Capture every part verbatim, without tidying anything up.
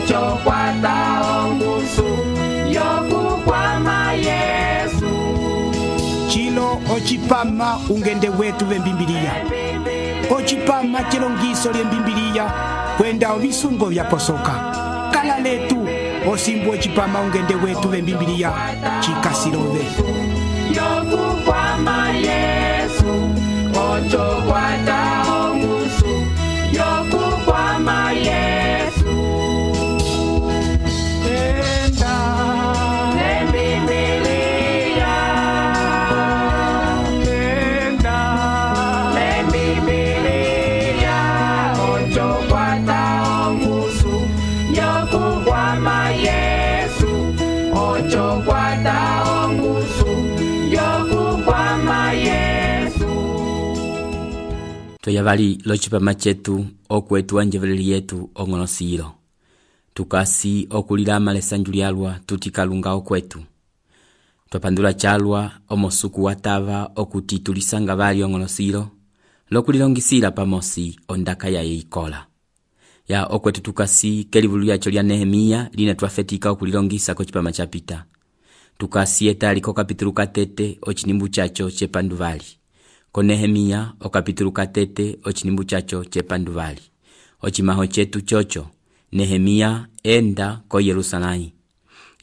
ocho kwata ongusu yokukwama Yesu. Chilo ochipama ungende wetu vembimbilia. Ochipama chilongiso lyembimbilia kwenda ovisungo vya posoka. Kala letu osimbu ochipama ungende wetu vembimbilia chikasilove. Yokukwama Yesu, ocho kwata ongusu yokukwama Yesu. Enda lembimbilia, enda lembimbilia, ocho kwata ongusu yokukwama Yesu, ocho kwata ongusu yokukwama Yesu. Toyavali lochipama chetu okwetu wanjeveleli yetu ong'onosilo. Tukasi okulilama lesanju lyalwa tutikalunga okwetu. Twapandula chalwa omosuku watava okuti tulisanga vali ong'onosilo lokulilongisila pamosi ondaka ya yeikola. Ya okwetu tukasi kelivulu yacho lya Nehemia lina twafetika okulilongisa kochipama chapita. Tukasi etali ko kapitulu katete ochinimbu chacho chepanduvali. Ko Nehemia o kapitulu katete ochinimbu chacho chepanduvali. Ochimaho chetu chocho Nehemia enda ko Yerusalai.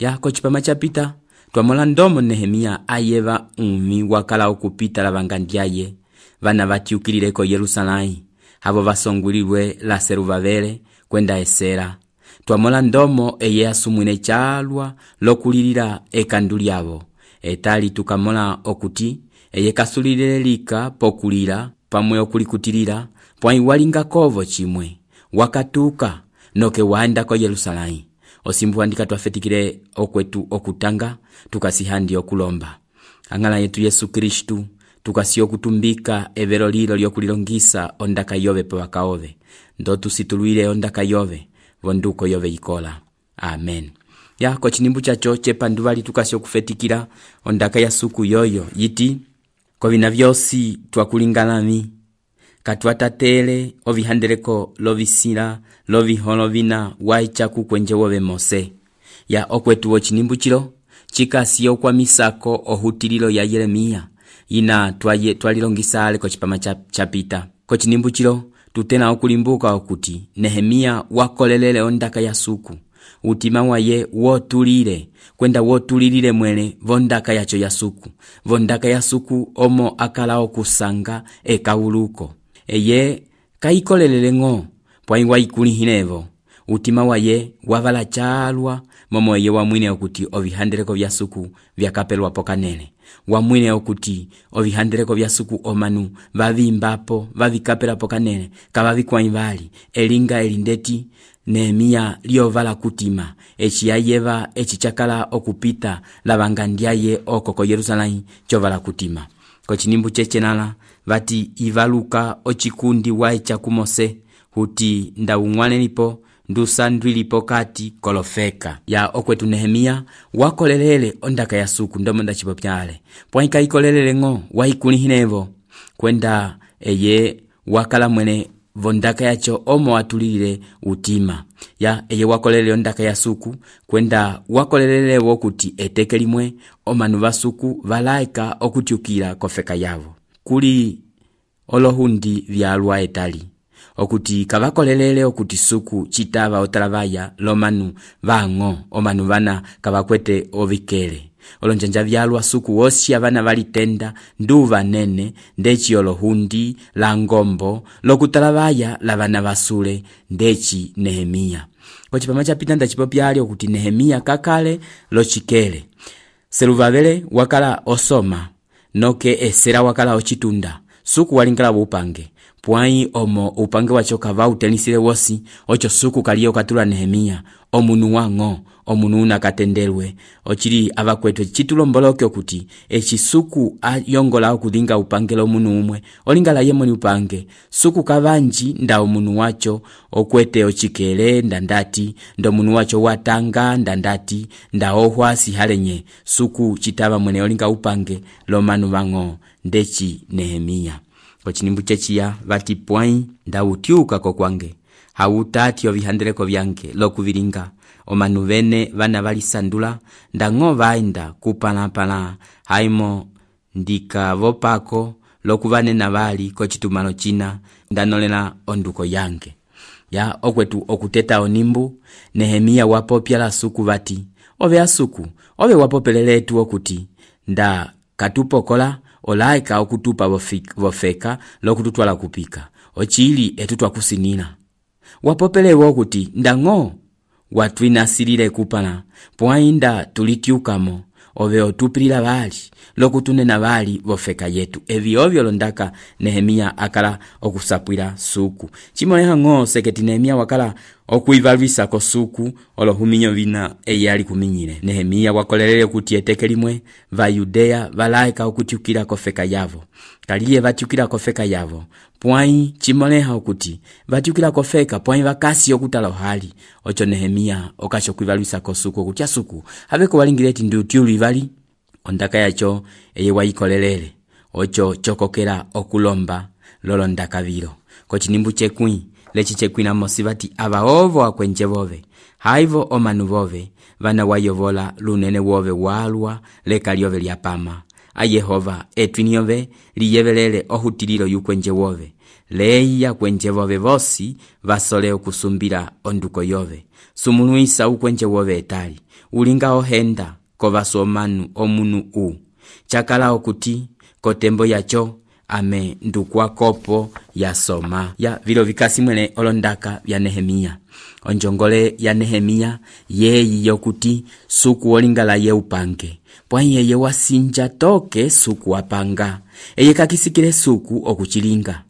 Ya kochipama chapita twamola ndomo Nehemia ayeva umi wakala okupita lavangandiaye vana vatiukilile ko Yerusalai havo vasongulilwe la Seruvavele kwenda esera. Twamola ndomo eye asumwine chalwa lokulilila ekandu lyavo. Etali tukamola okuti eye kasulile lika pokulila pamwe okulikutilila pwai walinga kovo chimwe wakatuka noke waenda ko Yerusalai. Osimbu andika twafetikile okwetu okutanga tukasihandi okulomba. Angala yetu Yesu Kristu tukasi okutumbika evero lilo lyokulilongisa ondaka yove pa wakaove. Ndo tusituluile ondaka yove vonduko yove ikola. Amen. Ya kochinimbu chacho chepanduvali tukasi okufetikila ondaka ya suku yoyo yiti kovina vyosi twakulingalami katwatatele ovihandeleko lovisila loviholo vina waichaku kwenje wove Mose. Ya okwetu ochinimbu chilo chikasi okwa misako ohutililo ya Yeremia ina twaye twalilongisale kochipama chapita. Kochinimbu chilo tutena okulimbuka okuti Nehemia wakolelele ondaka ya suku. Utima waye wotulile kwenda wotulilile mwele vondaka yacho ya suku. Vondaka ya suku omo akala okusanga ekawuluko. Eye kaikolelele ngo pwai waikulihinevo. Utima waye wavala chalwa momo eye wamwine okuti ovihandeleko vya suku vyakapelwa pokanele. Wamwine okuti ovihandeleko vya suku omanu vavimbapo vavikapela pokanele kavavikwaivali elinga elindeti Nehemia liovala kutima echi yayeva echi chakala okupita lavangandiaye okoko Yerusalai chovala kutima. Kochinimbu chechenala vati ivaluka ochikundi waicha kumose huti ndaungwanelipo ndusandwilipo kati kolofeka. Ya okwetu Nehemia wakolelele ondaka ya suku ndomo ndachipopyale pwaika ikolelele ngo waikulihinevo kwenda eye wakala mwene vondaka yacho omo watulile utima. Ya eye wakolelele ondaka ya suku kwenda wakolelele wokuti eteke limwe omanu vasuku valaika okutiukila kofeka yavo. Kuli olohundi vyalwa etali okuti kavakolelele okuti suku chitava otalavaya lomanu vango omanu vana kavakwete ovikele. Olonjanja vyalwa suku wosi avana valitenda nduva nene ndechi olohundi la ngombo lokutalavaya lavana vasule ndechi Nehemia. Kochipama chapita ndachipopyali okuti Nehemia kakale lochikele. Seruvavele wakala osoma noke esera wakala ochitunda suku walingala upange. Pwai omo upange wacho kava utenisile wosi ocho suku kaliyo katula Nehemia omunu wango omunu unakatendelwe ochiri avakwetwe chitulomboloke okuti echi suku ayongola okudinga upange lomunu umwe olingala yemoni upange suku kavanji nda omunu wacho okwete ochikele ndandati ndo munu wacho watanga ndandati nda ohwasi halenye suku chitava mwene olinga upange lomanu vango ndechi Nehemia. Kochinimbu chechiya vati pwai nda utiuka kokwange hawutati ovihandeleko vyange lokuvilinga omanu vene vana valisandula ndang'o vaenda kupalapala haimo ndika vopako lokuvanena vali kocitumalo cina ndanolela onduko yange. Ya okwetu okuteta onimbu Nehemia wapopya la suku vati ove asuku ove wapopeleletu okuti nda katupokola olaika okutupa vofeka lokututwala kupika ochili etutwa kusinina wapopelewa okuti ndang'o watwinasilile kupala pwainda tulitiukamo ove otupilila vali lokutunena vali vofeka yetu. Evi ovyo londaka Nehemia akala okusapwila suku chimoleha ng'o seketi Nehemia wakala okuivalwisa ko suku olohuminyo vina eyali kuminyile. Nehemia wakolelele kuti eteke limwe va Yudea valaika okutiukila kofeka yavo kaliye vatiukila kofeka yavo pwai chimoleha okuti vatiukila kofeka pwai vakasi okutala hali ocho Nehemia okacho kuivalwisa ko suku okutia suku haveko walingileti ndiutiuli vali ondaka yacho eye waikolelele ocho chokokela okulomba lolo ndaka vilo kochinimbu chekwi lechi chekwina mosivati abaovo akwenje vove haivo omanu vove vana wayovola lunene wove walwa leka lyove lyapama a Yehova etwiniove liyevelele ohutililo yukwenje wove leia kwenje vove vosi vasole okusumbila onduko yove sumuluisa ukwenje wove etali ulinga ohenda kovaso omanu omunu u chakala okuti kotembo yacho ame ndukwa kopo ya soma ya vilo vikasi mwene olondaka vya Nehemia. Onjongole ya Nehemia yeyi yokuti suku olingala ye upange pwai yeye wasinja toke suku wapanga eye kakisikile suku okuchilinga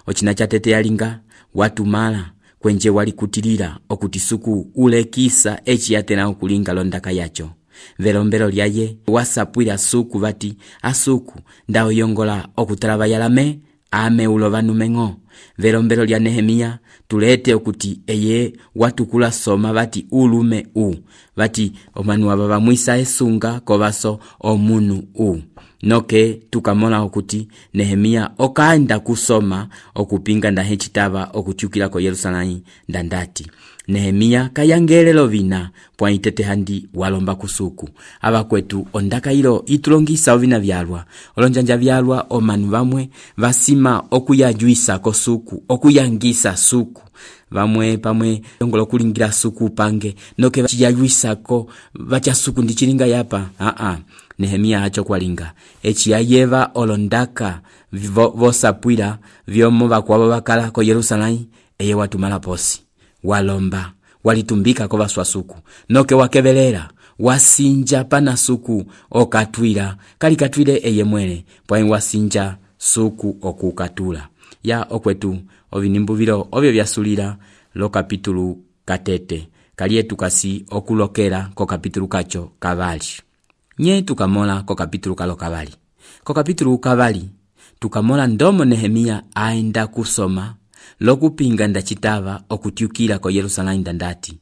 ochina chatete yalinga watumala kwenje wali kutilila okuti suku ulekisa echi yatena okulinga londaka yacho velombelo lyaye wasapwila suku vati asuku ndao yongola okutalaba yalame ame ulovanu meng'o. Velombelo lya Nehemia tulete okuti eye watukula soma vati ulume u vati omanu aba bamwisa esunga kovaso omunu u noke tukamola okuti Nehemia okaenda kusoma okupinga ndahe chitaba okutiukila ko Yerusalemu ndandati Nehemia kayangelelo vina pwa itete handi walomba kusuku abakwetu ondaka ilo itulongisa ovina vyalwa olonjanja vyalwa omanu vamwe vasima okuyajuisa ko suku okuyangisa suku vamwe pamwe yongolo kulingira suku pange noke vachiyajuisa ko vacha suku ndichilinga yapa a a Nehemia hacho kwalinga echi yayeva olondaka vosapwila vyomo vakwabo bakala ko Yerusalemu eye watumala posi walomba walitumbika ko vaswa suku noke wakevelela wasinja pana suku okatwila kali katwile eye mwele pwa wasinja suku okukatula ya okwetu ovinimbu vilo ovyo vyasulira lo kapitulu katete kaliye tukasi okulokela ko kapitulu kacho kavali nye tukamola ko kapitulu kalo kavali ko kapitulu kavali tukamola ndomo Nehemia aenda kusoma lokupinga ndachitava okutiukila ko Yerusalemu ndandati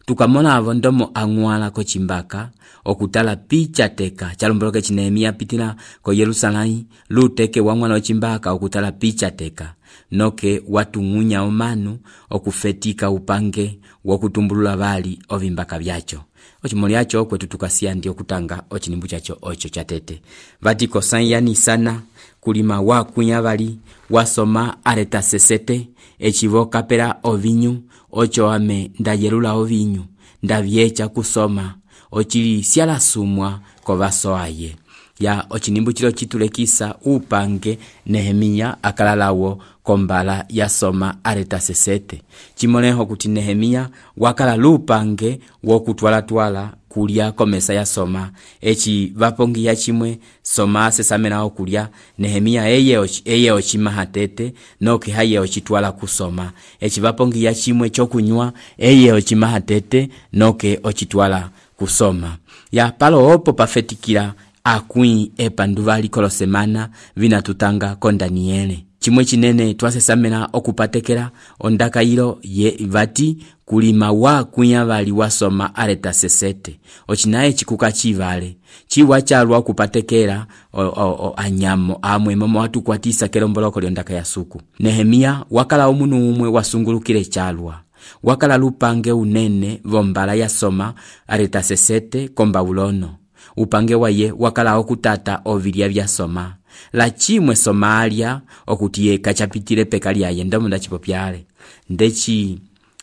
tukamola avo ndomo angwala ko chimbaka okutala picha teka chalumboloke chi Nehemia pitila ko Yerusalemu luteke wangwala wa chimbaka okutala picha teka noke watung'unya omanu okufetika upange wokutumbulula vali ovimbaka vyacho ochimoli yacho kwetu tukasia ndio kutanga ochinimbu chacho ocho chatete vatiko sanyani sana kulima wakunya vali wasoma areta sesete echivoka pera ovinyu ocho ame ndayelula ovinyu ndavyecha kusoma ochili siala sumwa kovaso aye ya ochinimbu chilo chitulekisa upange Nehemia akalalawo kombala ya soma areta sesete chimoleho kuti Nehemia wakala lupange wokutwala twala kulia komesa ya soma echi vapongi ya chimwe soma sesamena okulia Nehemia eye ochi, eye ochimahatete noke haye ochitwala kusoma echi vapongi ya chimwe chokunywa eye ochimahatete noke ochitwala kusoma ya palo opo pafetikila akwi epanduvali kolo semana vina tutanga ko Daniele chimwe chinene twasesamena okupatekela ondaka ilo ye vati kulima wa kunya vali wasoma areta sesete ochinaye chikuka chivale chiwa chalwa kupatekela o, o, o, anyamo amwe mama watu kwatisa kelomboloko lyondaka ya suku Nehemia wakala omunu umwe wasungulukile chalwa wakala lupange unene vombala ya soma Artasasete ko Babulono. Upange waye wakala okutata ovilya vya soma. La chimwe Somalia okuti kachapitile peka lyaye ndomo ndachipopyale. Ndechi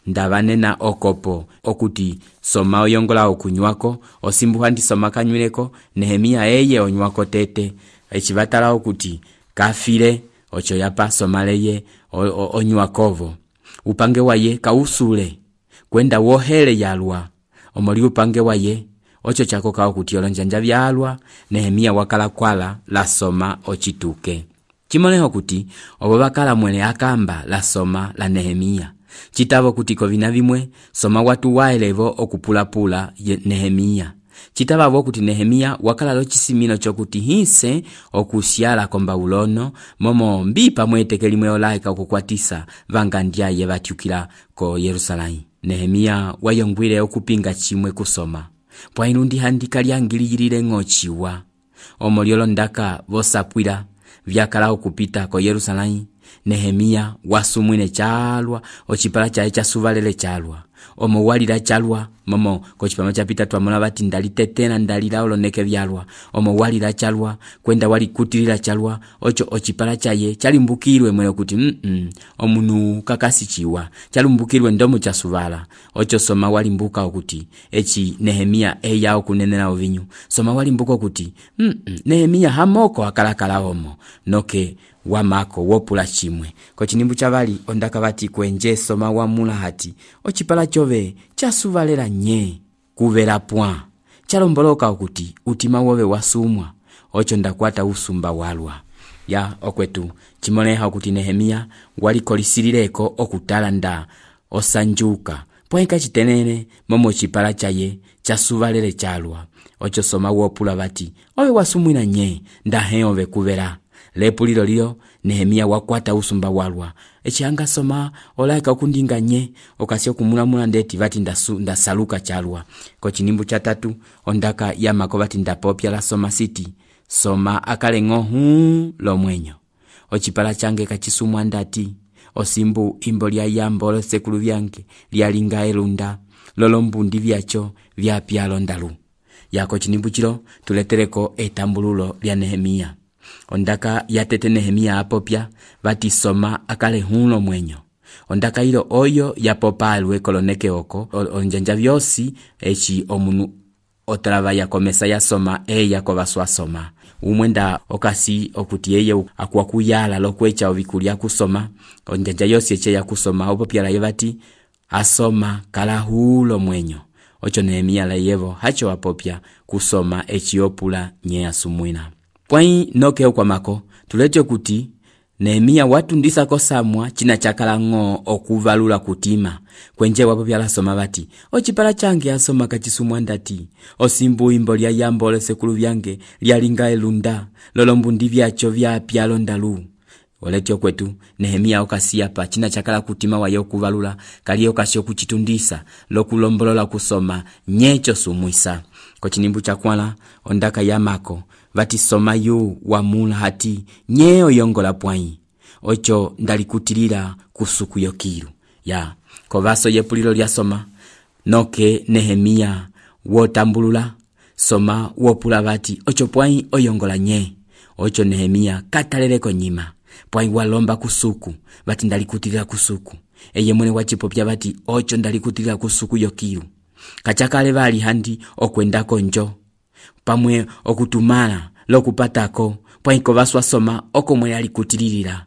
ndavanena okopo okuti soma oyongola okunywako osimbuha ndi soma kanywileko Nehemia eye onywako tete echivatala okuti kafile ocho yapa somaleye onywakovo. Upange waye kausule kwenda wohele yalwa omoli upange waye ocho chako kao kuti olonjanja vyalwa Nehemia wakala kwala la soma ochituke. Chimoneho kuti obo bakala mwene akamba la soma la Nehemia. Chitavo kuti kovina vimwe soma watu waelevo okupulapula Nehemia. Chitava kuti Nehemia wakala lo chisimino chokuti hinse okusyala ko Babulono momo mbipa mweteke limwe olaika okukwatisa vangandyaye vatyukila ko Yerusalemu. Nehemia wayongwile okupinga chimwe kusoma. Pwa inundi handika lyangiliyilile ng'ochiwa. Omoliolo ndaka vosapwila vyakala okupita ko Yerusalemu. Nehemia wasumwine chalwa ochipala chae chasuvalele chalwa. Omo walila chalwa momo kochipama chapita twamona bati ndalitetena ndalila oloneke vyalwa. Omo walila chalwa kwenda wali kutilila chalwa ocho ochipala chaye chalimbukirwe mwene kuti mm -mm, omunu kakasichiwa chalimbukirwe ndomo chasuvala. Ocho soma walimbuka okuti echi Nehemia eya okunenela ovinyu. Soma walimbuka okuti mm -mm, Nehemia hamoko akalakala omo noke wamako wopula chimwe. Ko chinimbu chavali ondaka bati kwenje soma wamula hati ochipala chove chasuvalela nye kuvera point chalomboloka okuti utima wowe wasumwa ocho ndakwata usumba walwa. Ya okwetu chimoneha okuti Nehemia walikolisilileko okutala nda osanjuka poenka chitenene momo chipala chaye chasuvalele chalwa. Ocho soma wopula bati owe wasumwina nye ndahe ove kuvera. Lepulilo liyo Nehemia wakwata usumba walwa. Echianga soma olaika okundinga nye okasio kumulamula ndeti vati ndasu ndasaluka chalwa. Ko chinimbu cha tatu ondaka yamako vati ndapopya la soma city soma akale ngohu lo mwenyo. Ochipala change kachisumwa ndati osimbu imbo lya yambolo sekulu vyange lyalinga elunda lolombundi vyacho vyapya londalu. Yako chinimbu chilo tuletereko etambululo lya Nehemia. Ondaka yatete Nehemia apopya vati soma akale hulo mwenyo. Ondaka ilo oyo yapopalwe koloneke oko onjanja vyosi echi omunu otrava ya komesa ya soma eya kovaswa soma. Umwenda okasi okuti eye akuwa kuyala lokwecha ovikulia kusoma onjanja yosi eche ya kusoma opopya la yevati asoma kala hulo mwenyo. Ocho Nehemia la yevo hacho apopya kusoma echi opula nye asumwina. Pwai noke kwa mako tulete kuti Nehemia watu ndisa kosamwa china chakala ngo okuvalula kutima kwenje wapo byala soma bati ochipala change asoma kachisumwa ndati osimbu imbo lya yambole sekulu vyange lyalinga elunda lolombundi vyacho vyapya londalu. Oletyo kwetu Nehemia okasia pa china chakala kutima waye okuvalula kali okasio kuchitundisa lokulombolola kusoma nyecho sumwisa. Ko chinimbu chakwala ondaka yamako vati soma yu wamula hati nye oyongola pwai ocho ndalikutilila kusuku yokiru. Ya kovaso yepulilo lya soma noke Nehemia wotambulula soma wopula vati ocho pwai oyongola nye. Ocho Nehemia kataleleko nyima pwai walomba kusuku vati ndalikutilila kusuku. Eye mwene wachipopya vati ocho ndalikutilila kusuku yokiru. Kachakale vali handi okwendako njo pamwe okutumala lokupatako pwaiko vaswa soma oko mwe alikutililira.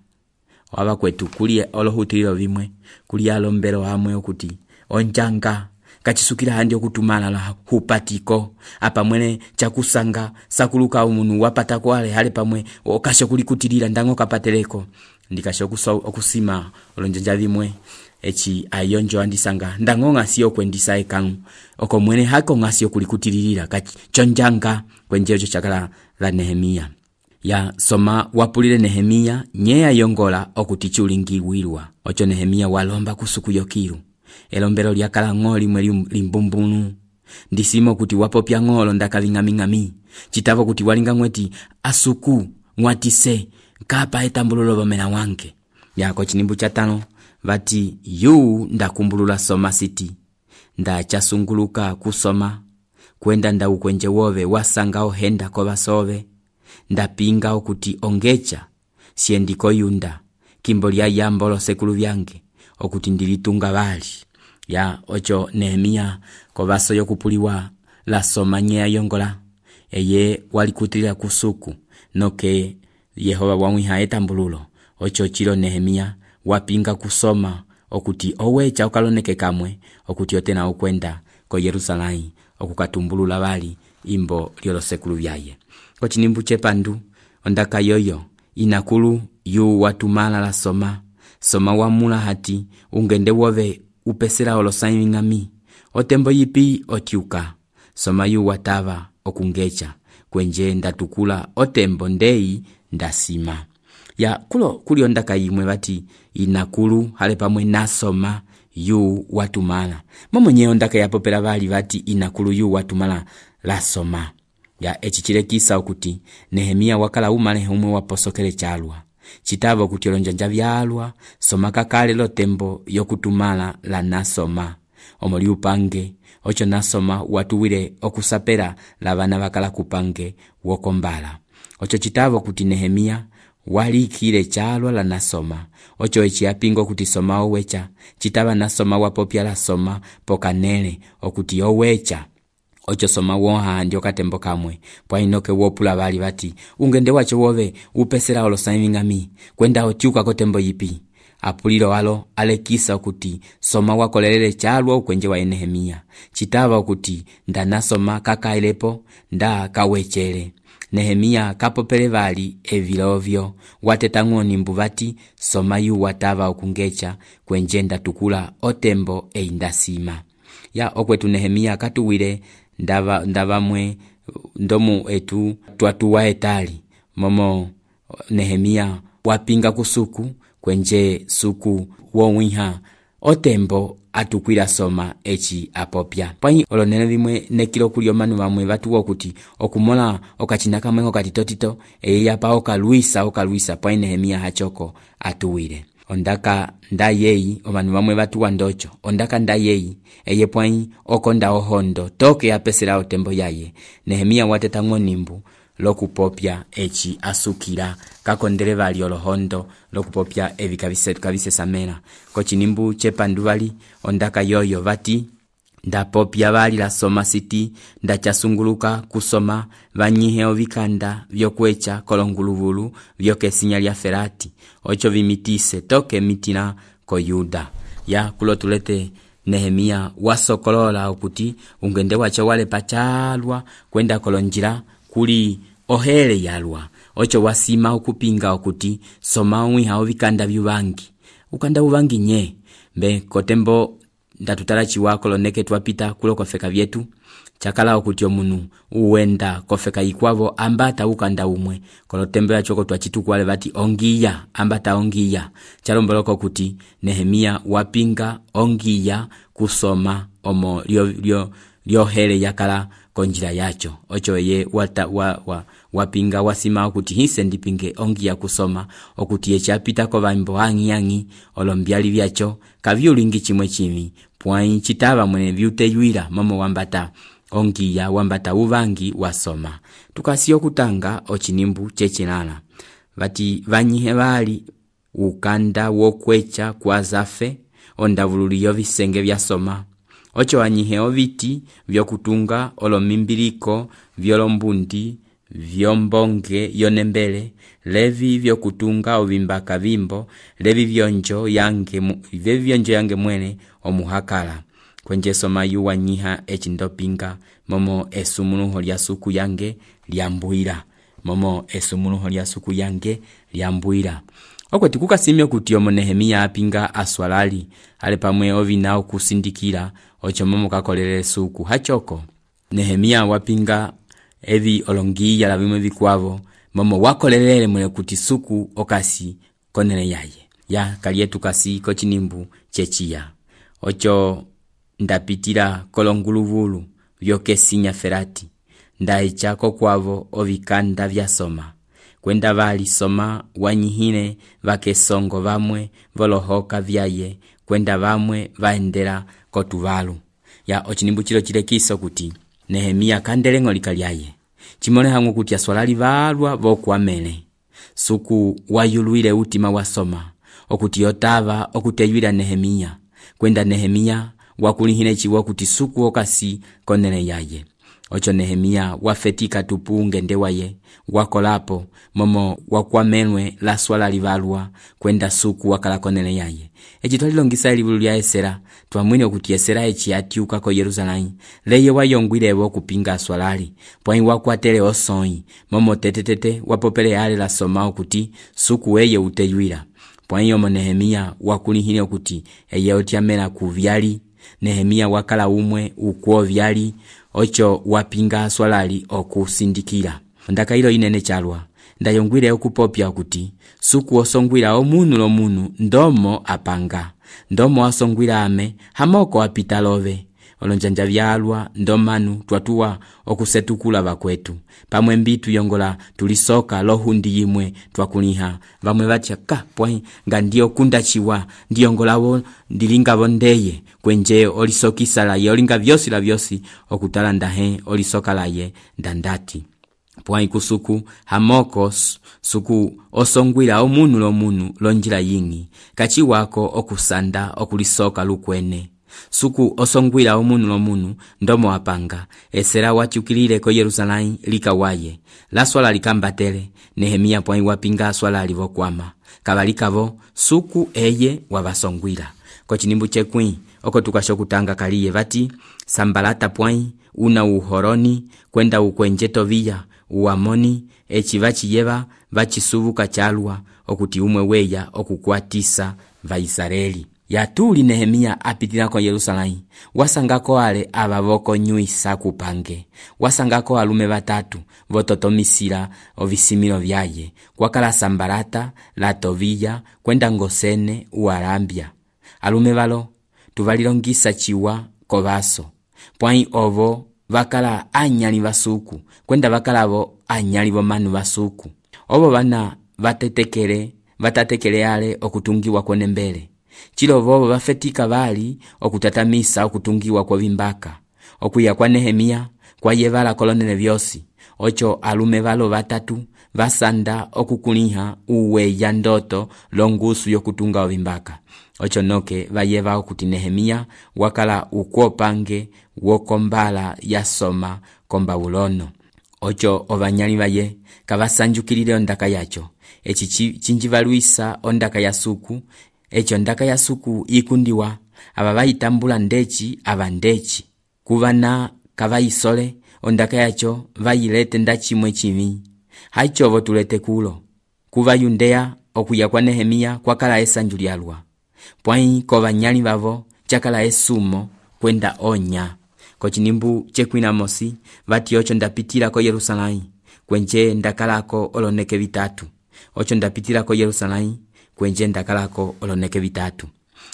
Waba kwetu kulie olohutililo vimwe kulia alombero hamwe okuti onjanga kachisukila handi okutumala la hupatiko apa mwene chakusanga sakuluka umunu wapatako ale hale pamwe okasho kulikutilira ndango kapateleko ndikasho okusima olonjanja vimwe echi ayonjo andisanga ndango ngasio kwendisa ekanu oko mwene hako ngasio kulikutilira kachonjanga kwenjejo chakala la Nehemia. Ya soma wapulile Nehemia nye ayongola okutichulingiwirwa. Ocho Nehemia walomba kusuku yokiru elombero lyakala ngoli mwe limbumbunu ndisimo kuti wapopya ngolo ndakavingamingami chitavo kuti walinga mweti asuku mwatise kapa etambululo bomena wanke. Yako chinimbu cha tano vati yu ndakumbulula soma siti ndachasunguluka kusoma kwenda ndaukwenje wove wasanga ohenda ko basove ndapinga okuti ongecha siendiko yunda kimbo lya yambolo sekulu byange okuti ndilitunga bali ya ocho Nehemia ko baso yokupuliwa la soma nye yongola eye walikutilira kusuku noke Yehova wamwiha etambululo ocho chilo Nehemia wapinga kusoma okuti owecha okaloneke kamwe okuti otena okwenda ko Yerusalemu okukatumbulula bali imbo lyolo sekulu byaye kochinimbu chepandu ondaka yoyo inakulu yu watumala la soma soma wamula hati ungende wove upesera olosaimi ngami otembo yipi otiuka soma yu watava okungecha kwenje ndatukula otembo ndei ndasima ya kulo kuli ondaka yimwe bati inakulu hale pamwe nasoma yu watumala momonye ondaka yapopela bali bati inakulu yu watumala la soma ya echichile kisa okuti Nehemia wakala umale humwe waposokele chalwa chitava okuti olonjanja byalwa soma kakale lo tembo yokutumala la nasoma omoli upange ocho nasoma watuwile okusapera la bana bakala kupange wokombala ocho chitava okuti Nehemia walikile chalwa la nasoma ocho echi apingo okuti soma owecha chitava nasoma wapopya la soma pokanele okuti owecha ocho soma woha ndio katembo kamwe pwa inoke wopula bali bati ungende wacho wove upesera olosaimi ngami kwenda otiuka kotembo yipi apulilo walo alekisa okuti soma wakolelele chalwa ukwenje wa Nehemia chitava okuti ndanasoma kakailepo nda kawechele Nehemia kapopele bali evilovyo watetango nimbu bati soma yu watava okungecha kwenje ndatukula otembo eindasima ya okwetu Nehemia katuwile ndava ndavamwe ndomu etu twatuwa etali momo Nehemia wapinga kusuku kwenje suku wonwiha otembo atukwila soma echi apopya pai olonene bimwe nekilo kulyo manu bamwe batuwa okuti okumola okachina kamwe okatitotito eya pa okaluisa okaluisa pai Nehemia hachoko atuwile ondaka ndayeyi omanu bamwe batuwa ndocho ondaka ndayeyi eye pai okonda ohondo toke apesera otembo yaye Nehemia watetango nimbu lokupopya echi asukira kakondele bali olohondo lokupopya evi kabise kabise samena kochinimbu chepandu bali ondaka yoyo bati ndapopya bali la soma siti ndachasunguluka kusoma banyihe ovikanda vyokwecha kolonguluvulu vyokesinya lya ferati ocho vimitise toke mitina ko Yuda ya kulotulete Nehemia wasokolola okuti ungende wacho wale pachalwa kwenda kolonjira kuli ohele yalwa ocho wasima okupinga okuti soma omwiha ovikanda byubangi ukanda ubangi nye mbe kotembo ndatutala chiwako loneke twapita kulo kofeka vyetu chakala okuti omunu uwenda kofeka ikwavo ambata ukanda umwe kolotembo ya choko twachitukwale bati ongiya ambata ongiya chalomboloko okuti Nehemia wapinga ongiya kusoma omo lyo lyo lyo hele yakala konjira yacho ocho ye wata wa, wa wapinga wasima okuti hise ndipinge ongiya kusoma okuti echapita ko bambo angi angi olombyali byacho kavyulingi chimwe chimi pwai chitaba mwene byuteyuira mamo wambata ongiya wambata uvangi wasoma tukasiyo kutanga ochinimbu chechinana bati vanyihe bali ukanda wokwecha kwa zafe ondavululiyo visenge vya soma ocho wanyihe oviti vyokutunga olomimbiliko vyolombundi vyombonge yonembele levi vyokutunga ovimbaka vimbo levi vyonjo yange levi vyonjo yange mwene omuhakala kwenje soma yu wanyiha echindopinga momo esumunuho lya suku yange lyambuira momo esumunuho lya suku yange lyambuira okwe tikukasimye kuti omo Nehemia apinga aswalali ale pamwe ovinao kusindikira ocho momo kakolele suku hachoko Nehemia wapinga evi olongiya la bimwe bikwavo momo wakolelele mwele kuti suku okasi konene yaye ya kalietu kasi kochinimbu chechiya ocho ndapitira kolonguluvulu vyokesinya ferati ndaichako kwavo ovikanda vya soma kwenda vali soma wanyihile vakesongo vamwe volohoka vyaye kwenda vamwe vaendela kotuvalu. Ya ochinimbu chilo chilekiso kuti Nehemia kandele ng'olika lyaye chimole hangu kuti aswalali valwa vokuamele suku wayuluile utima wasoma okuti yotava okuteywila Nehemia kwenda Nehemia wakulihile chiwo kuti suku okasi konele yaye. Ocho Nehemia wafetika tupu ngende waye wakolapo momo wakwamelwe la swala livalwa kwenda suku wakala konele yaye. Echi twalilongisa elivulu lya Esera twamwine okuti Esera echi atiuka ko Yerusalemu leye wayongwilewo kupinga swalali pwai wakwatele osoi momo tetetete wapopele yale la soma okuti suku weye uteywila pwai yomo Nehemia wakulihile okuti eye otiamela kuvyali. Nehemia wakala umwe ukuo vyali ocho wapinga swalali okusindikila. Ndaka ilo inene chalwa ndayongwile okupopya okuti suku osongwila omunu lo munu ndomo apanga ndomo asongwila ame hamoko apita love olonjanja vyalwa ndomanu twatuwa okusetukula vakwetu pamwe mbitu yongola tulisoka lohundi yimwe twakuliha vamwe vachaka pwai nga ndio kundachiwa ndiyongolawo ndilingavo ndeye kwenje olisokisa laye olinga vyosi la vyosi okutala ndahe olisoka laye ndandati pwai kusuku hamoko suku osongwila omunu lo munu lonjila yingi kachi wako okusanda okulisoka lukwene suku osongwila omunu lo munu ndomo apanga Esera wachukilile ko Yerusalemu likawaye la swala likambatele Nehemia pwai wapinga swala livokwama kabalikavo suku eye wabasongwila ko chinimbu chekwi oko tukashokutanga kaliye vati Sambalata pwai una uhoroni kwenda ukwenje Tobiya uamoni echi vachiyeva vachisubuka chalwa okuti umwe weya okukwatisa va Israeli. Yatuli Nehemia apitila ko Yerusalemu wasangako ale abavoko nyuisa kupange wasangako alume batatu vototomisila ovisimilo vyaye kwakala Sambalata la Tobiya kwenda ngosene uarambia alume valo tuvalilongisa chiwa kovaso pwai ovo vakala anyali vasuku kwenda vakalavo anyali vomanu vasuku ovo vana vatetekele vatatekele ale okutungiwa kwene mbele chilo vovo vafetika vali okutatamisa okutungiwa kwa vimbaka okuya kwa Nehemia kwa yevala kolonele vyosi ocho alume valo vatatu vasanda okukuliha uwe ya ndoto longusu yokutunga ovimbaka ocho noke vayeva okuti Nehemia wakala ukwopange wokombala yasoma kombabulono ocho ovanyali vaye kavasanjukilile ondaka yacho echi chinjivaluisa ondaka ya suku echo ndaka ya suku ikundiwa aba bayitambula ndechi aba ndechi kuvana kavaisole ondaka yacho vayilete ndachimwe chimi haichovo tulete kulo kuva Yudea okuya kwa Nehemia kwakala esanjulialwa pwai kovanyali vavo chakala esumo kwenda onya ko chinimbu chekwina mosi vati ocho ndapitila ko Yerusalemu kwenje ndakalako oloneke vitatu ocho ndapitila ko Yerusalemu kwenje ndakalako oloneke vitatu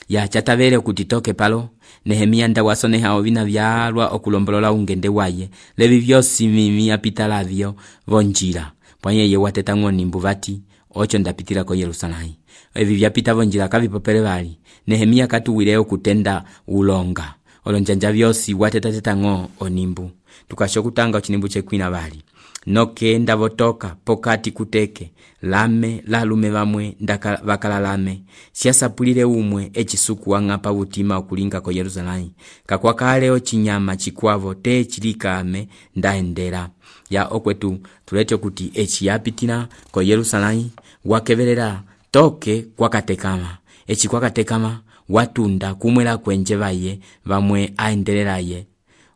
ya chatavele kutitoke palo Nehemia ndawasoneha ovina vyalwa okulombolola ungende waye levi vyosi mimi apitalavyo vonjila pwanye ye wateta ng'onimbu vati ocho ndapitila ko Yerusalemu evi vyapita vonjila kavipopele vali Nehemia katuwileo kutenda ulonga olonjanja vyosi wateta teta ng'o onimbu tukashokutanga ochinimbu chekwina vali noke ndavotoka pokati kuteke lame lalume vamwe ndaka vakala lame siasapulile umwe echisuku wang'apa utima okulinga ko Yerusalemu kakwakale ochinyama chikwavo te chilikame ndaendera ya okwetu tulete kuti echi yapitina ko Yerusalemu wakevelela toke kwakatekama echi kwakatekama watunda kumwela kwenje vaye vamwe aendelelaye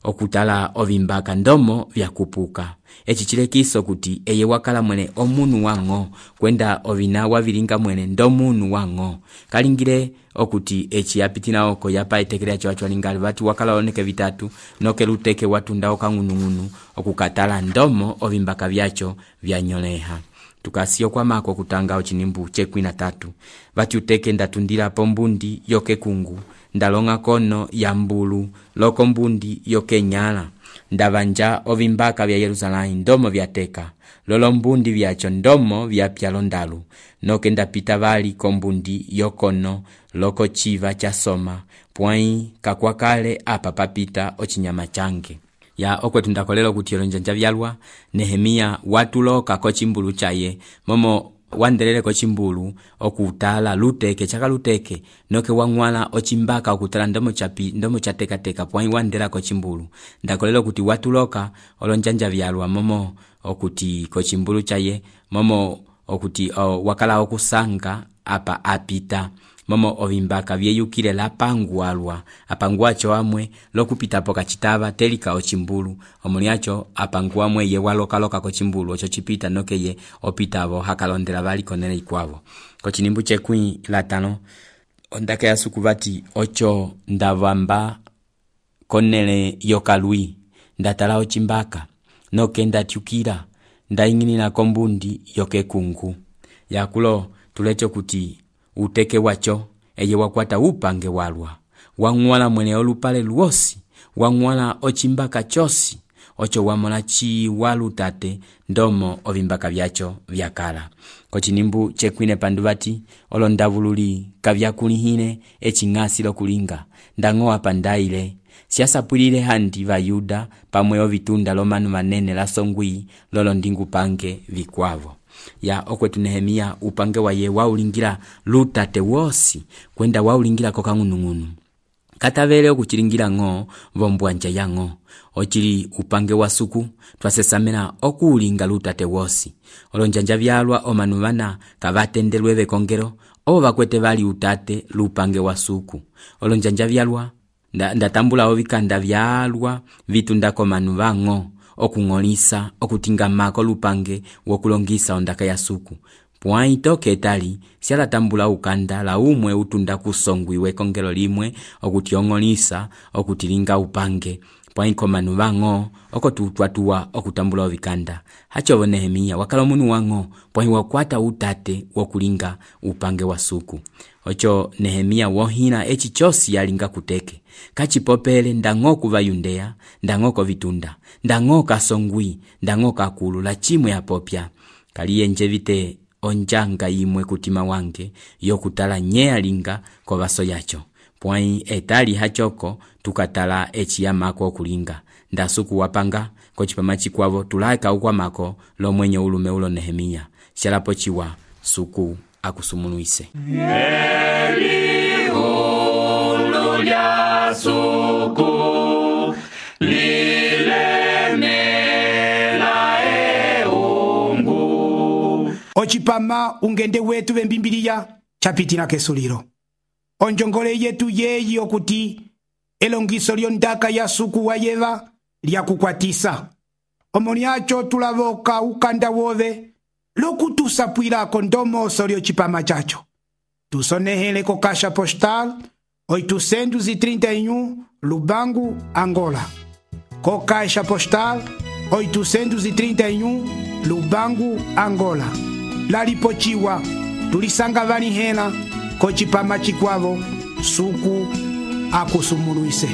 okutala ovimbaka ndomo vyakupuka echi chilekiso kuti eye wakala mwene omunu wang'o kwenda ovina wavilinga mwene ndomunu wang'o kalingile okuti echi yapitina oko yapa etekele cho achwalingali vati wakala oneke vitatu noke luteke watunda okang'unung'unu okukatala ndomo ovimbaka vyacho vyanyoleha tukasio kwa mako kutanga ochinimbu chekwina tatu vati uteke ndatundila pombundi yoke kungu ndalonga kono ya mbulu loko mbundi yoke nyala ndavanja ovimbaka vya Yerusalemu ndomo vyateka, lolo mbundi vyacho ndomo vyapya londalu, noke ndapita vali kombundi yokono loko chiva cha soma, pwai kakwakale apa papita ochinyama change. Ya okwetu ndakolelo kuti olonjanja vyalwa Nehemia watuloka ko chimbulu chaye, momo wandelele ko chimbulu okutala luteke chaka luteke, noke wangwala ochimbaka okutala ndomo chapi ndomo chateka teka pwai wandela ko chimbulu. Ndakolelo kuti watuloka olonjanja vyalwa momo okuti ko chimbulu chaye, momo okuti o, wakala okusanga apa apita, momo ovimbaka vyeyukile la pangualwa, apanguacho amwe lokupita poka chitava telika ochimbulu, omuliacho apanguamwe ye waloka loka ko chimbulu ocho chipita noke ye opitavo hakalondela vali konele ikwavo. Ko chinimbu chekwi latano ondake asukuvati ocho ndavamba konele yokalui, ndatala ochimbaka noke ndatyukira ndainginina kombundi yoke kungu. Yakulo tulecho kuti uteke wacho eye wakwata upange walwa, wangwala mwene olupale luosi, wangwala ochimbaka chosi, ocho wamona chi walutate ndomo ovimbaka vyacho vyakala. Kochinimbu chekwine panduvati olondavululi kavyakulihine echingasi lokulinga, ndangoa pandaile siasapulile handi va Yuda pamwe ovitunda lomanu manene la songwi lolo ndingu pange vikwavo. Ya okwetu Nehemia upange wa ye waulingira lutate wosi kwenda waulingira koka ngunungunu. Katavele okuchilingira ngo vombuanja yango. Ochili upange wa suku twasesamena okuulinga lutate wosi. Olonjanja vyalwa omanuvana kavatendelweve kongero obo bakwete vali utate lupange wa suku. Olonjanja vyalwa ndatambula ovikanda vyalwa vitundako manuvango okungolisa okutinga mako lupange wokulongisa ondaka ya suku. Pwai toke etali siala tambula ukanda la umwe utunda kusongwiwe kongelo limwe okutiongolisa okutilinga upange. Pwai komanu vango okotutwatua okutambula ovikanda. Hacho Nehemia wakala munu wango pwai wakwata utate wokulinga upange wa suku. Ocho Nehemia wohina echi chosi yalinga kuteke. Kachipopele ndango kuva Yundea, ndango kovitunda, ndango kasongwi, ndango kakulu la chimwe ya popya. Kaliye njevite onjanga imwe kutima wange yokutala nyea linga kwa vaso yacho. Pwai etali hachoko tukatala echi ya mako kulinga. Ndasuku wapanga kochipamachi kwavo tulaika ukwa mako lo mwenye ulume ulo Nehemia. Shalapo chiwa suku akusumunuise. Eli ulu ya suku lilemela e ungu. Ochipama ungende wetu vembimbilia chapitina kesuliro. Onjongole yetu yeyi okuti elongiso lyondaka ya suku wa yeva lya kukwatisa. Omoniacho tulavoka ukanda wove lokutusapwila kondomo solio chipama chacho. Tusonehele ko kasha postal oitocentos e trinta e um Lubango, Angola. Ko caixa postal oitocentos e trinta e um Lubango, Angola. Lalipochiwa tulisanga vani hena ko chipama chikwavo suku akusumunuise.